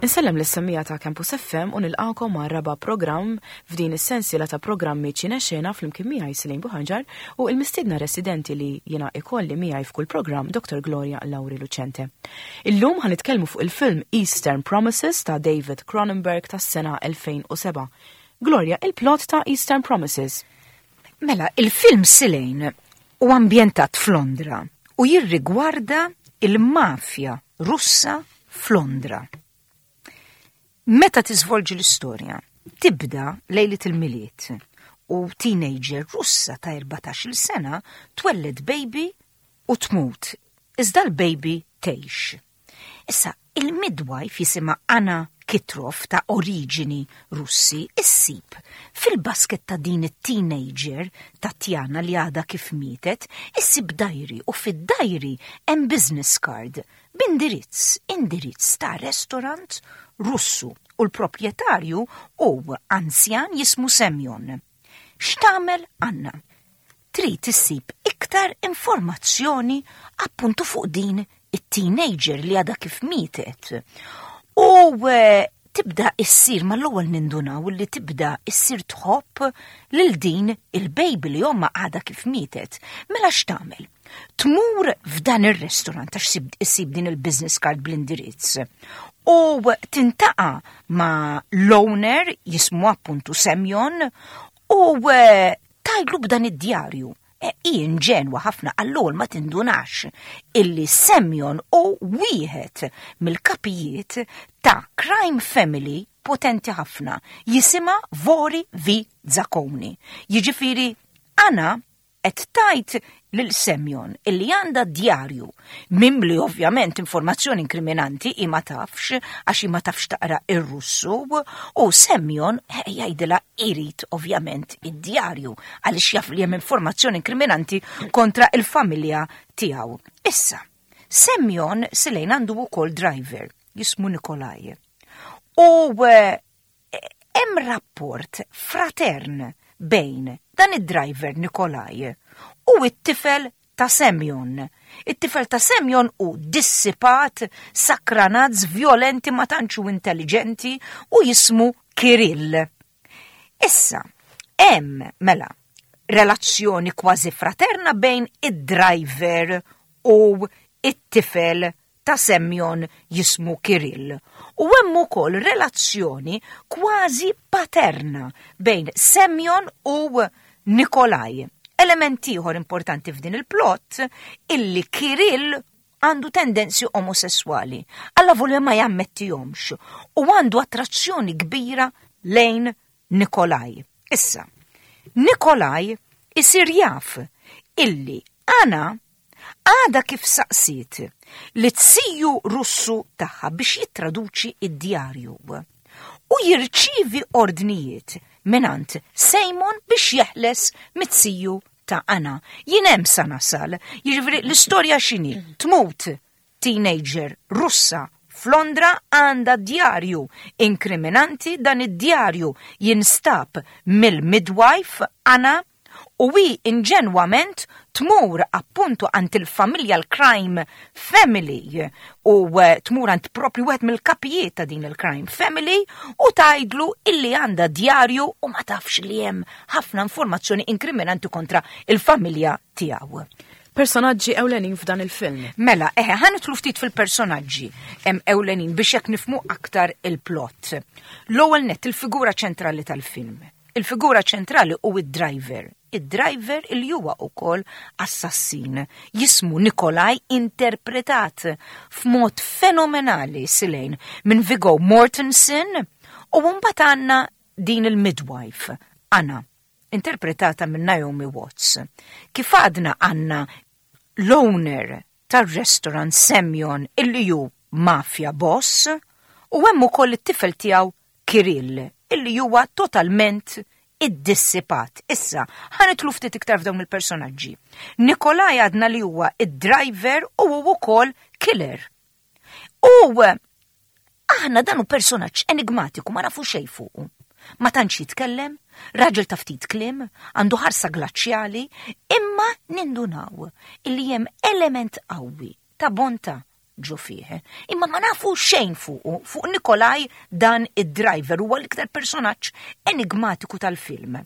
Insellem lis-semmiegħa ta' Campus FM u nilqakom għal raba' programm f'din is-sensiela ta' programmi Ċine Xena flimkien miegħi Celine Buhaġar u l-mistiedna residenti li jiena ikolli miegħi f'kull programm Dr. Gloria Lauri Lucente. Illum ħa nitkellmu fuq il-film Eastern Promises ta' David Cronenberg tas-sena 2007. Gloria, il-plot ta' Eastern Promises. Mela, il-film Silane hu ambjentat f'Londra u jirrigwarda il-mafja Russa f'Londra. Meta tiżvolġi l-istorja, tibda lejlet il-Milied u teenager Russa ta' 14-il sena twelled baby u tmut, iżda l-baby tgħix. Issa, il-midwife jisimha Anna Kitrov ta' oriġini Russi issib fil-basket ta' din it-teenager Tatjana li għadha kif mietet, issib diary u fid-diary hemm business card b'indirizz, indirizz ta' restaurant Russu u l-proprjetarju hu anzjan jismu Semyon. X'tagħmel Anna? Trid issib iktar informazzjoni appuntu fuq din it-teenager li għadha kif mietet. U eh, tibda issir mal-ewwel nindunaw li tibda issir tħobb lil din il-baby li omma għadha kif mietet. Mela x'tagħmel? Tmur f'dan ir-restaurant għax issib din il-business card bl-indirizz. U tintaqa ma' l-owner jismu appuntu Semjon u eh, tgħidlu b'dan id-djarju. E, hi inġenwa ħafna għall-ewwel ma tindunax illi Semjon hu wieħed mill-kapijiet ta' crime family potenti ħafna jisimha Vori v Zakoni. Jiġifieri Anna qed tgħid lil Semjon illi għandha djarju mimli ovvjament informazzjoni inkriminanti i ma tafx għax i ma tafx taqra ir-Russu u Semjon eh, jgħidilha irid ovvjament id-djarju għaliex jaf li hemm informazzjoni inkriminanti kontra il-familja tiegħu. Issa, Semjon Silejn għandu wkoll driver jismu Nikolaj. U eh, hemm rapport fratern bejn dan id-driver Nikolaj u it-tifel ta' Semjon. It-tifel ta' Semjon hu dissipat, sakranaz, violenti, ma tantx hu intelligenti u jismu Kirill. Issa, hemm mela relazzjoni kważi fraterna bejn id-driver u it-tifel ta' Semjon jismu Kirill. U hemm ukoll relazzjoni kważi paterna bejn Semjon u Nikolaj. Element ieħor importanti f'din il-plot illi Kirill għandu tendenzi omosessuali, alla volja ma jammettihomx u għandu attrazzjoni kbira lejn Nikolaj. Issa, Nikolaj isir jaf illi Anna għada kif saqsiet li t-siju Russu tagħha biex jittraduċi id-djarju u jirċivi ordnijiet minant Simon biex jeħles mit-siju ta' Anna. Jien hemm sa nasal, jiġifieri l-istorja x'inhi? Tmut teenager Russa f'Londra għandha djarju inkriminanti, dan id-djarju jinstab mill-midwife Anna u hi inġenwament tmur appuntu għand il-familja l-crime family u eh, tmur għand propju wieħed mill-kapijiet ta' din il-crime family u tgħidlu illi għandha djarju u ma tafx li hemm ħafna informazzjoni inkriminanti kontra il-familja tiegħu. Personaġġi ewlenin f'dan il-film. Mela, eħe, ħa nidħlu ftit fil-personaġġi hemm ewlenin biex jekk nifmu aktar il-plot. L-ewwel nett il-figura ċentrali tal-film. Il-figura ċentrali hu id-driver. Id-driver il huwa wkoll assassin. Jismu Nikolaj interpretat f'mod fenomenali Silejn minn Viggo Mortensen u mbagħad għandna din il-midwife, Anna, interpretata minn Naomi Watts. Kif għadna għandna l-owner tar-restaurant Semjon illi hu mafia boss u hemm ukoll it-tifel tiegħu Kirill illi huwa totalment iddissipat. Issa, ħa nidħlu ftit iktar f'dawn il-personaġġi. Nikolaj għadna li huwa id-driver u hu wkoll killer. U aħna dan hu personaġġ enigmatiku ma nafu xejn fuqu. Ma tantx jitkellem, raġel ta' ftit kliem, għandu ħarsa glaċjali, imma nindunaw illi hemm element qawwi ta' bonta. ġo fih. Imma ma nafu xejn fuqu, fuq Nikolaj dan id-driver huwa l-iktar personaġġ enigmatiku tal-film.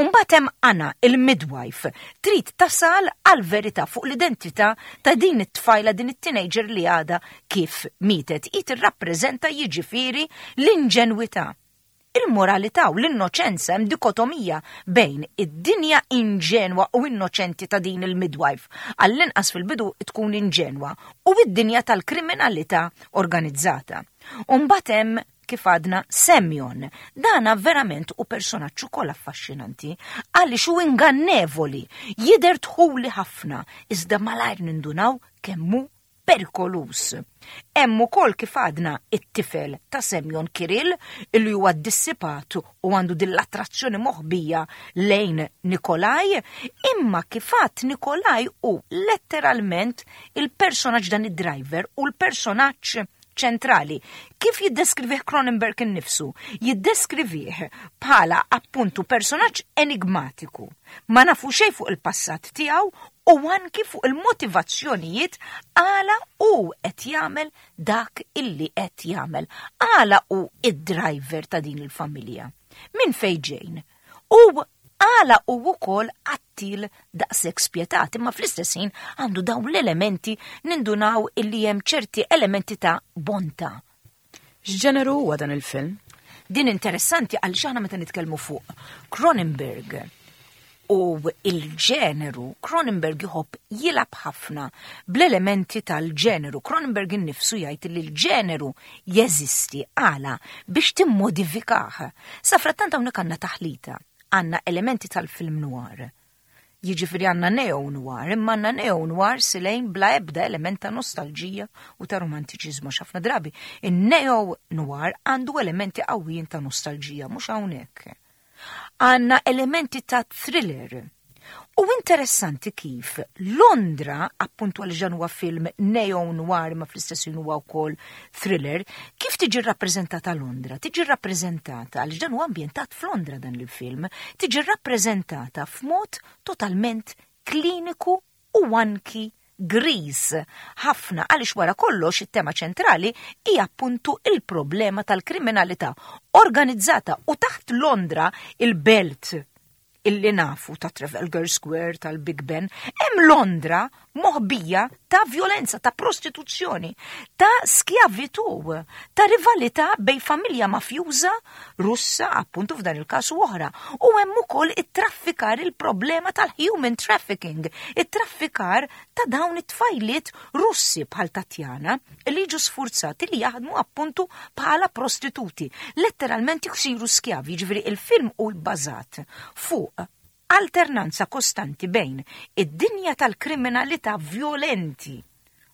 Umbagħad hemm Anna, il-midwife, trid tasal għal verità fuq l-identità ta' din it-tfajla din it-teenager li għadha kif mietet. Hi tirrappreżenta jiġifieri l-inġenwità. Il-moralità u l-innoċenza hemm dikotomija bejn id-dinja inġenwa u innoċenti ta' din il-midwife, għall-inqas fil-bidu tkun inġenwa, u id-dinja tal-kriminalità organizzata. Umbagħad hemm kif għadna Semjon. Dana verament u personaġġ ukoll affaxxinanti għaliex hu ingannevoli, jidher dħuli ħafna, iżda malajr nindunaw kemm hu perikoluż. Hemm ukoll kif għadna it-tifel ta' Semjon Kirill illi huwa dissipat u għandu din l-attrazzjoni moħbija lejn Nikolaj, imma kif għad Nikolaj hu letteralment il-personaġġ dan id-driver u l-personaġġ ċentrali. Kif jiddeskrivih Cronenberg innifsu? Jiddeskrivih bħala appuntu personaġġ enigmatiku. Ma nafu xejn fuq il-passat tiegħu u anki fuq il-motivazzjonijiet għala hu qed jagħmel dak illi qed jagħmel. Għala hu id-driver ta' din il-familja. Min fejn ġejn? U għala hu wkoll qattil daqshekk spjetat, imma fl-istess ħin għandu dawn l-elementi nindunaw illi hemm ċerti elementi ta' bonta. X'ġeneru huwa dan il-film? Din interessanti għaliex aħna meta nitkellmu fuq Cronenberg u il-ġeneru, Cronenberg jħobb jilgħab ħafna bl-elementi tal-ġeneru. Cronenberg innifsu jgħid li l-ġeneru jeżisti għala biex timmodifikah. Sa frattant hawnhekk għandna taħlita, għandna elementi tal-film noir. Jiġifieri għandna neo noir, imma għandna neo noir silejn bla ebda element ta' nostalġija u ta' romantiċiżmu ħafna drabi. In-neo noir għandu elementi qawwijin ta' nostalġija, mhux hawnhekk. Għandna elementi ta' thriller. U interessanti kif Londra, appuntu għal dan huwa film neo noir ma fl-istess ħin huwa wkoll thriller, kif tiġi rappreżentata Londra? Tiġi rappreżentata għal dan huwa ambjentat f'Londra dan il-film, tiġi rappreżentata f'mod totalment kliniku u anki griż ħafna għaliex wara kollox it-tema ċentrali hija appuntu il-problema tal-kriminalità organizzata u taħt Londra il-belt illi nafu ta' Trafalgar Square, tal-Big Ben, hemm Londra moħbija ta' violenza, ta' prostituzzjoni, ta' skjavitu, ta' rivalità bej familja mafjuża Russa, appuntu f'dan il-każ u oħra. U hemm ukoll it-traffikar il-problema tal-human trafficking, it-traffikar ta' dawn it-tfajliet Russi bħal Tatjana li jiġu sfurzati li jaħdmu appuntu bħala prostituti, letteralment jsiru skjavi, jiġifieri il-film hu bbażat fuq alternanza kostanti bejn id-dinja tal-kriminalità violenti,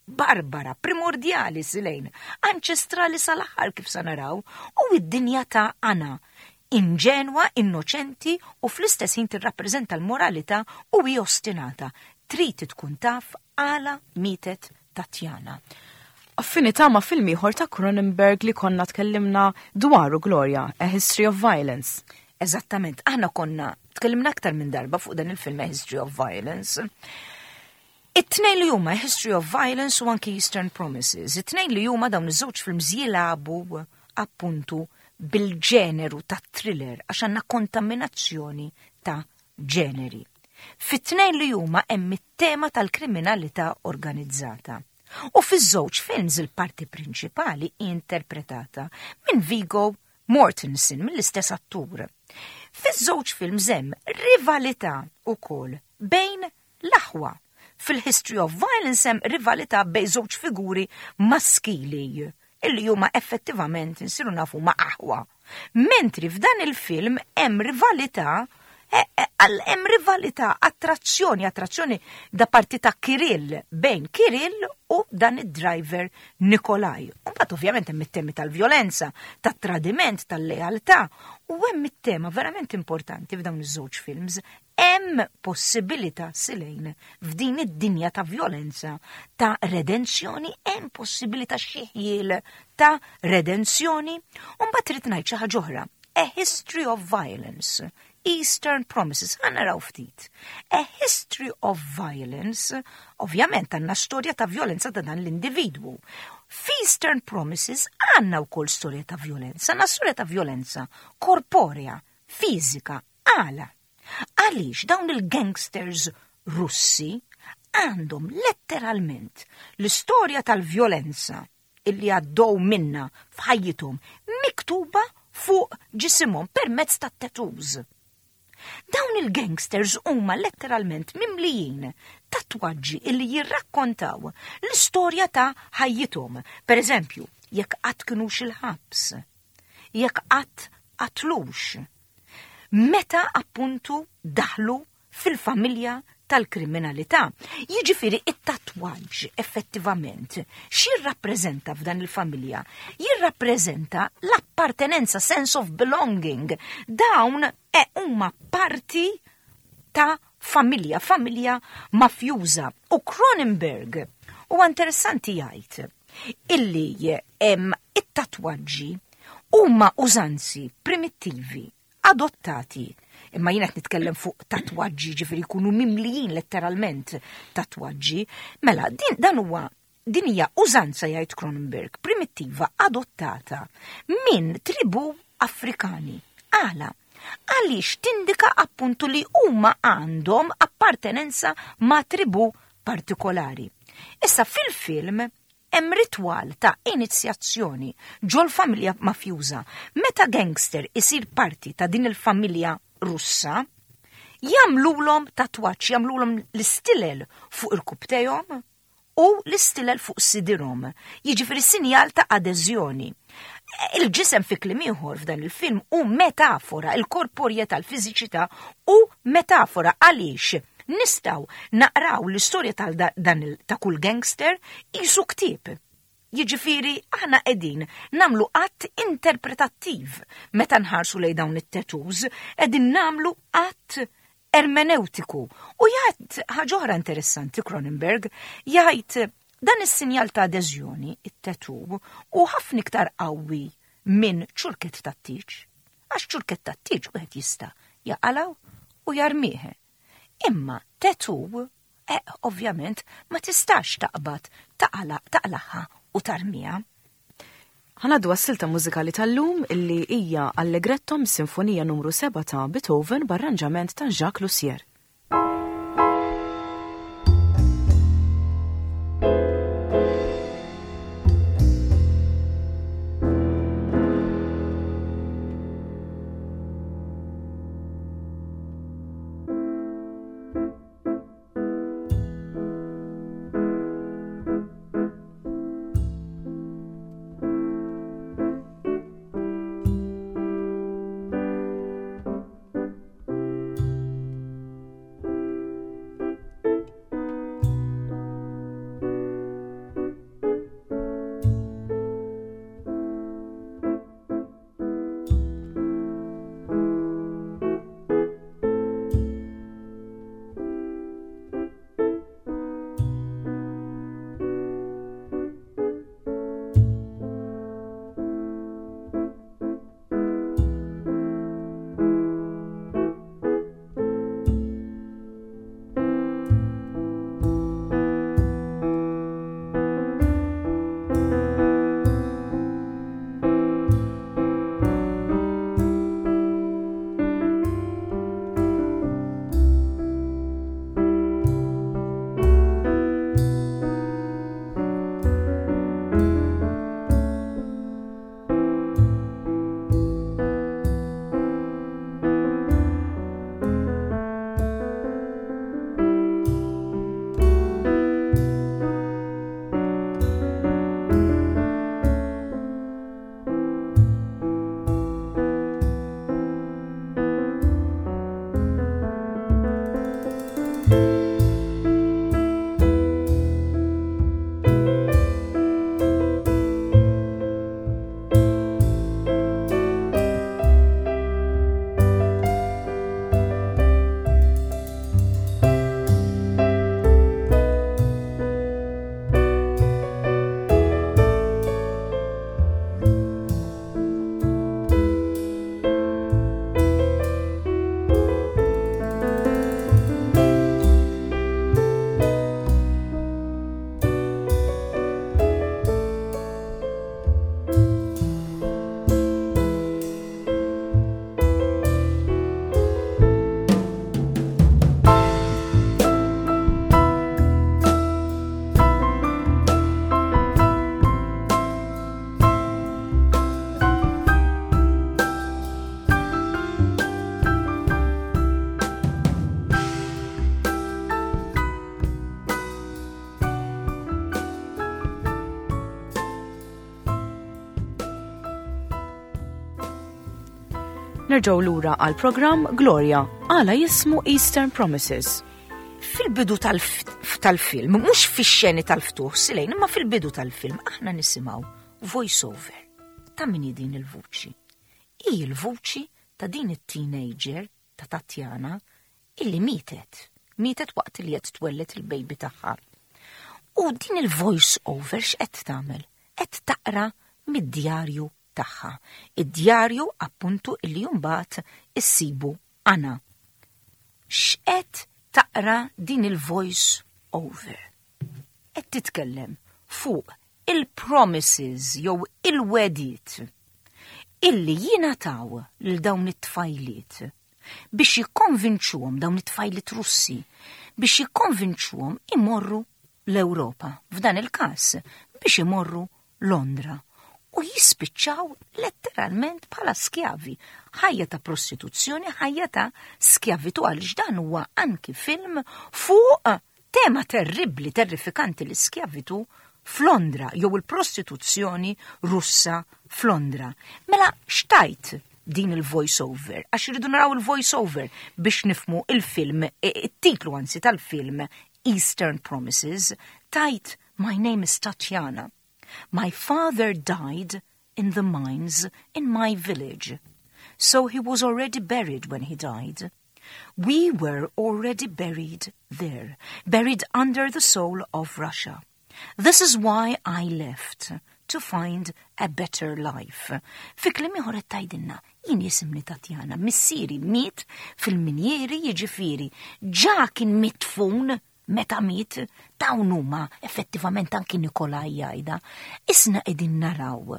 barbara, primordjali silejn, anċestrali sal-aħħar kif sa naraw, u id-dinja ta' Anna, inġenwa, innoċenti u fl-istess ħin tirrappreżenta l-moralità u hi ostinata. Trid tkun taf għala mietet Tatjana. Affinità ma' film ieħor ta' Cronenberg li konna tkellimna dwaru Gloria, A History of Violence. Eżattament, aħna konna tkellimna aktar minn darba fuq dan il-film A History of Violence. It-tnejn li huma A History of Violence u anki Eastern Promises, it-tnejn li huma dawn iż-żewġ films jilagħbu appuntu bil-ġeneru ta' thriller għax għandna kontaminazzjoni ta' ġeneri. Fit-tnejn li huma hemm it-tema tal-kriminalità organizzata. U fiż-żewġ films il-parti prinċipali hi interpretata minn Viggo Mortensen mill-istess attur. Fiż-żewġ films hemm rivalità wkoll bejn l-aħwa. Fil-History of Violence hemm rivalità bejn żewġ figuri maskili illi huma effettivament insiru nafu ma' aħwa. Mentri f'dan il-film hemm rivalità hemm rivalità, attrazzjoni, attrazzjoni da parti ta' Kirill, bejn Kirill u dan id-driver Nikolaj. U mbagħad ovvjament hemm it-temi tal-vjolenza, tat-tradiment, tal-lealtà, u hemm it-tema verament importanti f'dawn iż-żewġ films, hemm possibilità silejn f'din id-dinja ta' vjolenza, ta' redenzjoni, hemm possibilità xi ħjiel ta' redenzjoni. U mbagħad trid ngħid xi ħaġa oħra. A History of Violence. Eastern Promises. Ħa naraw ftit. A History of Violence, ovvjament għandna storja ta' violenza ta' dan l-individwu. F'Eastern Promises għandna wkoll storja ta' violenza, għandna storja ta' violenza korporea, fiżika, għala. Għaliex dawn il-gangsters Russi għandhom letteralment l-istorja tal-vjolenza illi għaddew minna f'ħajjithom miktuba fuq ġisimhom permezz ta' tattoos. Dawn il-gangsters huma letteralment mimlijin tatwaġġi illi jirrakkontaw l-istorja ta' ħajjithom. Per eżempju, jekk qatt kinux il-ħabs, jekk qatt qatlux, meta appuntu daħlu fil-familja tal-kriminalità. Jiġifieri it-tatwaġġ effettivament x'jirrappreżenta f'dan il-familja? Jirrappreżenta l-appartenenza, sense of belonging. Dawn e huma parti ta' familja, familja mafjuża. U Cronenberg huwa interessanti jgħid illi it-tatwaġġi huma użanzi primittivi adottati. Imma jiena qed nitkellem fuq tatwaġġi, ġifieri jkunu mimlijin letteralment tatwaġġi. Mela, din dan huwa din hija użanza jgħid Cronenberg, primittiva adottata minn tribu Afrikani. Għala? Għaliex tindika appuntu li huma għandhom appartenenza ma' tribu partikolari. Issa fil-film Hemm ritwal ta' inizjazzjoni ġol-familja mafjuża. Meta gangster isir parti ta' din il-familja Russa, jagħmlulhom tatwaġġ, jagħmlulhom l-istilel fuq irkubtejhom u l-istilel fuq sidirhom. Jiġifieri sinjal ta' adeżjoni. Il-ġisem fi kliem ieħor f'dan il-film hu metafora, il-korporjetà, l-fiżiċità hu metafora għaliex Nistgħu naqraw l-istorja tal dan ta' kull gangster qisu ktieb. Jiġifieri aħna qegħdin nagħmlu att interpretattiv meta nħarsu lejn dawn it-tattoos, qegħdin nagħmlu att ermeneutiku. U jgħid ħaġa oħra interessanti Cronenberg, jgħid dan is-sinjal ta' adeżjoni, it-tattoo, hu ħafna iktar qawwi minn ċurkett tat-tieġ. Għax ċurkett tat-tieġ wieħed jista' jaqalgħu u jarmih. Imma tattoo, eh, ovvjament, ma tistax taqbad taqlagħha u tarmiha. Ħa ngħaddu għas-silta mużikali tal-lum illi hija Allegretto mis-Sinfonija Numru 7 ta' Beethoven b'arranġament ta' Jacques Lussier. Nerġgħu lura għal programm Gloria għala jismu Eastern Promises. Fil-bidu tal-film, mhux fix-xeni tal-ftuħ silejn, imma fil-bidu tal-film aħna nisimgħu voice over. Ta' min din il-vuċi? Hi l-vuċi ta' din it-teenager ta' Tatjana illi mietet. Mietet waqt li qed twellet il-baby tagħha. U din il-voice over x'qed tagħmel? Qed taqra mid-djarju tagħha. Id-djarju appuntu illi mbagħad issibu Anna. X'qed taqra din il-voice over? Qed titkellem fuq il-promises jew il-wegħdiet illi jingħataw lil dawn it-tfajliet biex jikkonvinċuhom dawn it-tfajliet Russi biex jikkonvinċuhom imorru l-Ewropa, f'dan il-każ biex imorru Londra u jispiċċaw letteralment bħala skjavi. Ħajja ta' prostituzzjoni, ħajja ta' skjavitu għaliex dan huwa anki film fuq tema terribbli, terrifikanti l-iskjavitu f'Londra jew il-prostituzzjoni Russa f'Londra. Mela x'tgħid din il-voice over, għax irridu naraw il-voice over biex nifhmu il-film, it-titlu anzi tal-film Eastern Promises, tgħid My name is Tatiana. My father died in the mines in my village. So he was already buried when he died. We were already buried there, buried under the soil of Russia. This is why I left, to find a better life. Fi kliem ieħor qed tgħidilna, jien jisimni Tatjana, missieri miet fil-minjeri jiġifieri, ġa kien midfun meta miet, dawn huma effettivament anki Nikolaj jgħidha. Isna qegħdin naraw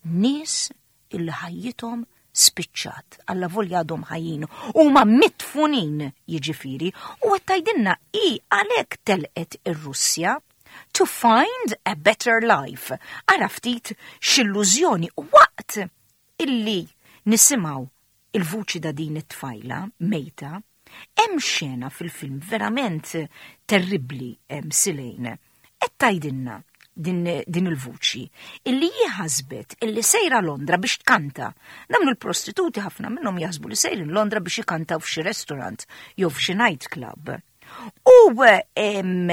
nies illi ħajjithom spiċċat, alla volja għadhom ħajjin, huma midfunin jiġifieri, u qed tgħidilna hi għalhekk telqet ir-Russja to find a better life. Ara ftit x'illużjoni waqt illi nisimgħu il-vuċi ta' din it-tfajla mejta, hemm xena fil-film verament terribbli silejn. Qed tgħidilna din, din il-vuċi illi hi ħasbet illi sejra Londra biex tkanta. Dawn il-prostituti ħafna minnhom jaħsbu li sejrin Londra biex ikantaw f'xi restaurant jew f'xi nightclub. U em,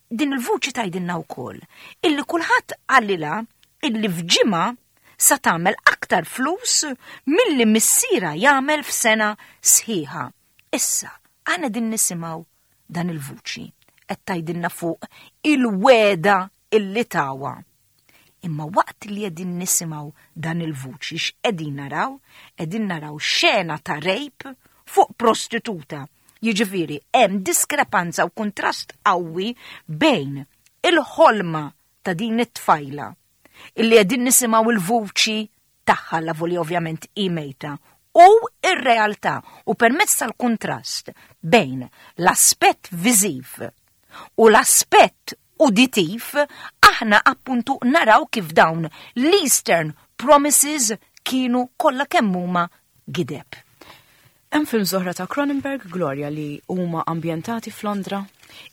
din il-vuċi tgħidilna wkoll illi kulħadd qalilha illi f'ġimgħa sa tagħmel aktar flus milli missiera jagħmel f'sena sħiħa. Issa, aħna din nisimgħu dan il-vuċi qed tgħidilna fuq il-wegħda illi tawha. Imma waqt li qegħdin nisimgħu dan il-vuċi x'qegħdin naraw? Qegħdin naraw xena ta' rape fuq prostituta. Jiġifieri hemm diskrepanza u kontrast qawwi bejn il-ħolma ta' din it-tfajla illi qegħdin nisimgħu il-vuċi tagħha la voli ovvjament hi mejta u ir-realtà u permezz tal-kontrast bejn l-aspett viżiv u l-aspett uditiv aħna appuntu naraw kif dawn l-Eastern Promises kienu kollha kemm huma gideb. Hemm films oħra ta' Cronenberg Gloria li huma ambjentati f'Londra?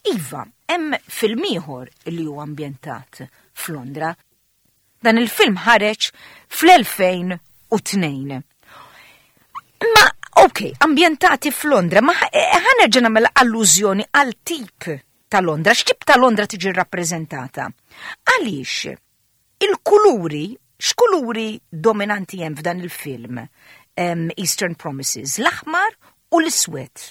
Iva, hemm film ieħor li huwa ambjentat f'Londra. Dan il-film ħareġ fl-2002. Ma, ok, ambjentati f'Londra, ma ħa nerġa' nagħmel allużjoni għal tip ta' Londra, x'tip ta' Londra tiġi rappreżentata? Għaliex il-kuluri, x'kuluri dominanti hemm f'dan il-film Eastern Promises, l-aħmar u l-iswed.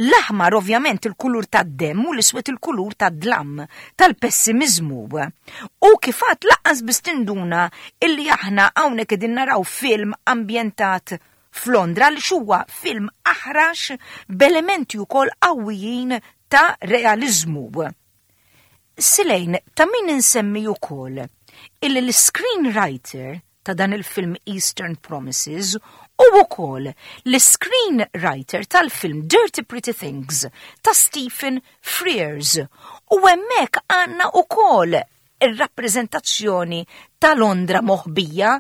L-aħmar ovvjament il-kulur tad-demm u l-iswed il-kulur tad-dlam, tal-pessimizmu. U kif għedt lanqas biss tinduna illi aħna hawnhekk qegħdin naraw film ambjentat f'Londra li huwa film aħrax b'elementi wkoll qawwijin ta' realizmu. Silejn, ta' min insemmi wkoll illi l-screenwriter ta' dan il-film Eastern Promises u wkoll l-screenwriter tal-film Dirty Pretty Things ta' Stephen Frears. U hemmhekk għandna wkoll ir-rappreżentazzjoni ta' Londra moħbija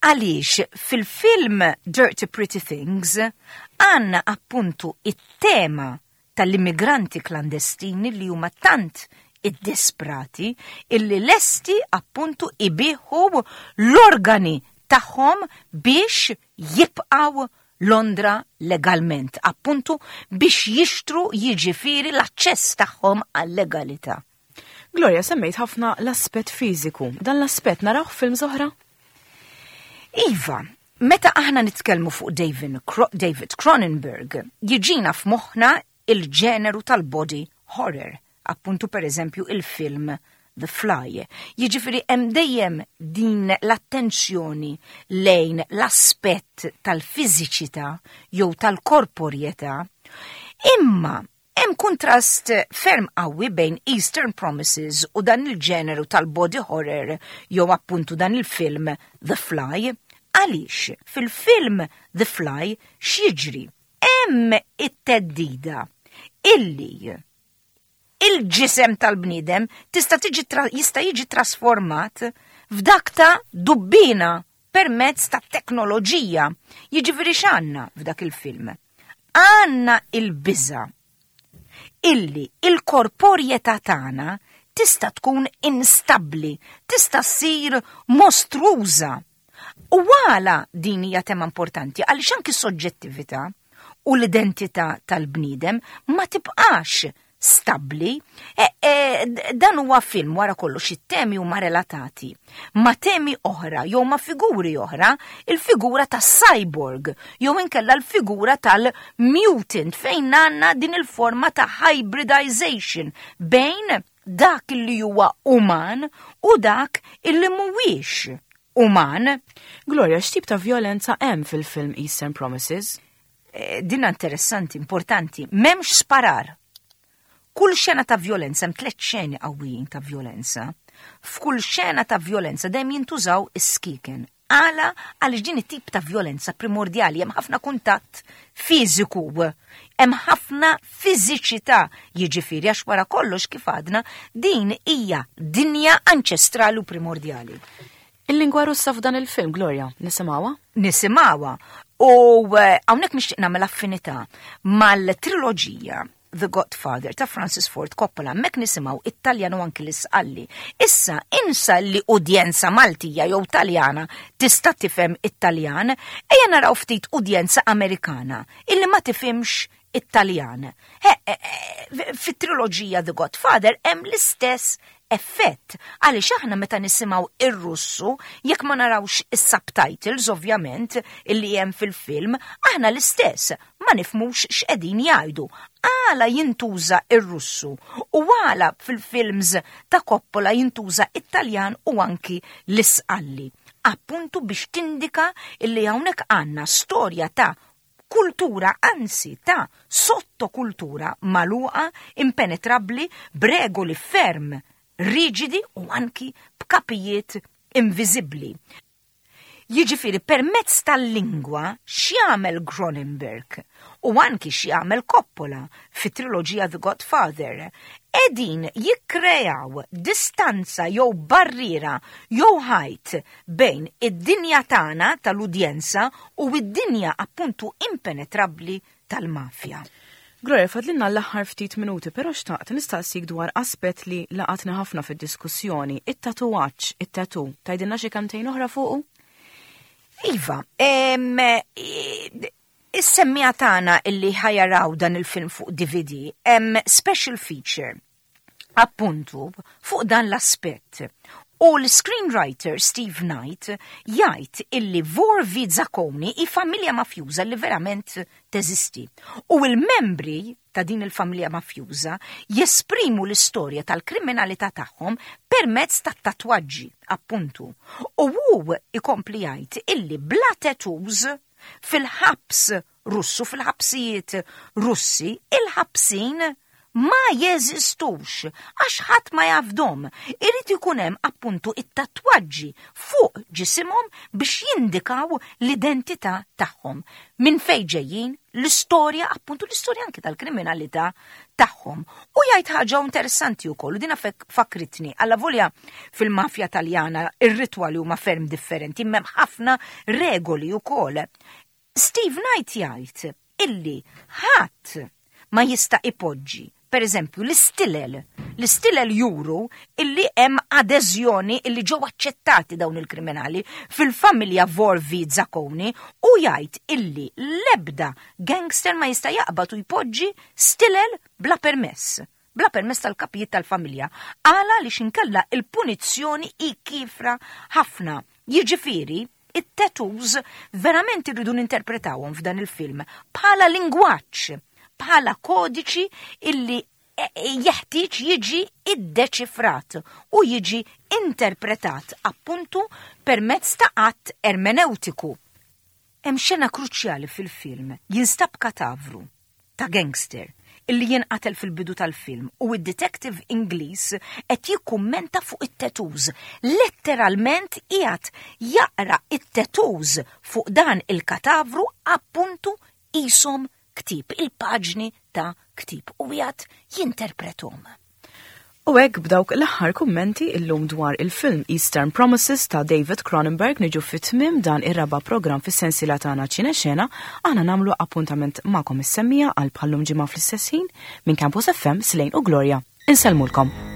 għaliex fil-film Dirty Pretty Things għandna appuntu it-tema tal-immigranti klandestini li huma tant iddisprati illi lesti appuntu ibiħu l-organi tagħhom. tagħhom biex jibqgħu Londra legalment, appuntu biex jixtru jiġifieri l-aċċess tagħhom għal-legalità. Gloria, semmejt ħafna l-aspett fiżiku. Dan l-aspett narawh f'films oħra? Iva, meta aħna nitkellmu fuq David Cronenberg, jiġina f'moħħna il-ġeneru tal-body horror, appuntu per eżempju il-film The Fly. Jiġifieri hemm dejjem din l-attenzjoni lejn l-aspett tal-fiżiċità jew tal-korporjetà. Imma hemm kuntrast ferm qawwi bejn Eastern Promises u dan il-ġeneru tal-body horror jew appuntu dan il-film The Fly. Għaliex fil-film The Fly x'jiġri? Hemm it-theddida illi il-ġisem tal-bniedem tista' tiġi jista' jiġi trasformat f'dak ta' dubbina permezz ta' teknoloġija. Jiġifieri x'għandna f'dak il-film? Għandna il-biża' illi il-korporjetà tagħna tista' tkun instabbli, tista' ssir mostruża. U għala din hija tema importanti għaliex anki soġġettività u l-identità tal-bniedem ma tibqax stabbli. E, e, dan huwa film wara kollox it-temi huma relatati ma' temi oħra jew ma' figuri oħra, il-figura ta' cyborg jew inkella l-figura tal-mutant fejn għandna din il-forma ta' hybridization bejn dak li huwa uman u dak illi mhuwiex uman. Gloria, x'tip ta' violenza hemm fil-film Eastern Promises? Eh, Dina interessanti, importanti. M'hemmx sparar. Kull xena ta' violenza, hemm tliet xeni qawwijin ta' violenza. F'kull xena ta' violenza dejjem jintużaw is-skiken. Għala għaliex din it-tip ta' violenza primordjali hemm ħafna kuntatt fiżiku, hemm ħafna fiżiċità, jiġifieri għax wara kollox kif għadna din hija dinja anċestrali u primordjali. Il-lingwa Russa f'dan il-film, Gloria, nisimgħuha? Nisimgħuha. U eh, hawnhekk nixtieq nagħmel affinità mal-triloġija The Godfather ta' Francis Ford Coppola, mek nisimgħu it-Taljan u anki l-Isqalli. Issa insa li udjenza Maltija jew Taljana tista' tifhem it-Taljan, ejja naraw ftit udjenza Amerikana illi ma tifhimx it-Taljan. Fit-triloġija The Godfather hemm l-istess effett għaliex aħna meta nisimgħu ir-Russu jekk ma narawx is-subtitles ovvjament illi hemm fil-film, aħna l-istess ma nifhmux x'qegħdin jgħidu. Għala jintuża ir-Russu u għala fil-films ta' Coppola jintuża it-Taljan u anki l-Isqalli. Appuntu biex tindika illi hawnhekk għandna storja ta' kultura, anzi ta' sottokultura magħluqa, impenetrabbli, b'regoli ferm riġidi u anki b'kapijiet inviżibbli. Jiġifieri permezz tal-lingwa x'jagħmel Cronenberg u anki x'jagħmel Coppola fit-triloġija The Godfather, qegħdin jikkreaw distanza jew barriera jew ħajt bejn id-dinja tagħna tal-udjenza u d-dinja appuntu impenetrabbli tal-mafja. Gloria, fadlilna l-aħħar ftit minuti, però xtaqt nistaqsik dwar aspett li laqatni ħafna fid-diskussjoni, it-tatuwaġġ, it-tattoo. Tgħidilna xi kantejn oħra fuqu? Iva, is-semmija tagħna illi ħajaraw dan il-film fuq DVD, hemm special feature appuntu fuq dan l-aspett. U l-screenwriter Steve Knight jgħid illi Vor v Zakoni hi familja mafjuża li verament teżisti. U l-membri ta' din il-familja mafjuża jesprimu l-istorja tal-kriminalità tagħhom permezz ta' tatwaġġi, appuntu. U hu ikompli jgħid illi bla tattoos fil-ħabs Russu, fil-ħabsijiet Russi, il-ħabsin ma jeżistux għax ħadd ma jafdom. Irid ikun hemm appuntu it-tatwaġġi fuq ġisimhom biex jindikaw l-identità tagħhom. Minn fejn ġejjin, l-istorja, appuntu l-istorja anki tal-kriminalità tagħhom. U jgħid ħaġa interessanti wkoll, u dina fakritni, alla volja fil-mafja Taljana ir-ritwali huma ferm differenti, imma hemm ħafna regoli wkoll. Steve Knight jgħid illi ħadd ma jista' ipoġġi, per eżempju, l-istilel L-istilel juru illi hemm adeżjoni illi ġew aċċettati dawn il-kriminali fil-familja Vorvi Zacconi u jgħid illi l-ebda gangster ma jista' jaqbad u jpoġġi stilel bla permess. Bla permess tal-kapijiet tal-familja. Għala li xinkella il-punizzjoni hi kiefra ħafna. Jiġifieri, it-tattoos verament irridu ninterpretawhom f'dan il-film bħala lingwaġġ, bħala kodiċi illi e, e, jeħtieġ jiġi iddeċifrat u jiġi interpretat appuntu permezz ta' att ermeneutiku. Hemm xena kruċjali fil-film, jinstab katavru ta' gangster illi jinqatel fil-bidu tal-film u id-detective Ingliż qed jikkummenta fuq it-tattoos. Letteralment qiegħed jaqra it-tattoos fuq dan il-katavru appuntu qishom ktieb, il-paġni ta' ktieb u qiegħed jinterprethom. U hekk b'dawk l-aħħar kummenti illum dwar il-film Eastern Promises ta' David Cronenberg niġu fit-tmiem dan ir-raba' programm fis-sensiela tagħna Ċinexena, aħna nagħmlu appuntament magħkom is-semmiegħa għal bħallum ġimgħa fl-istess ħin minn Campus FM, Slane u Gloria. Insellmulkom.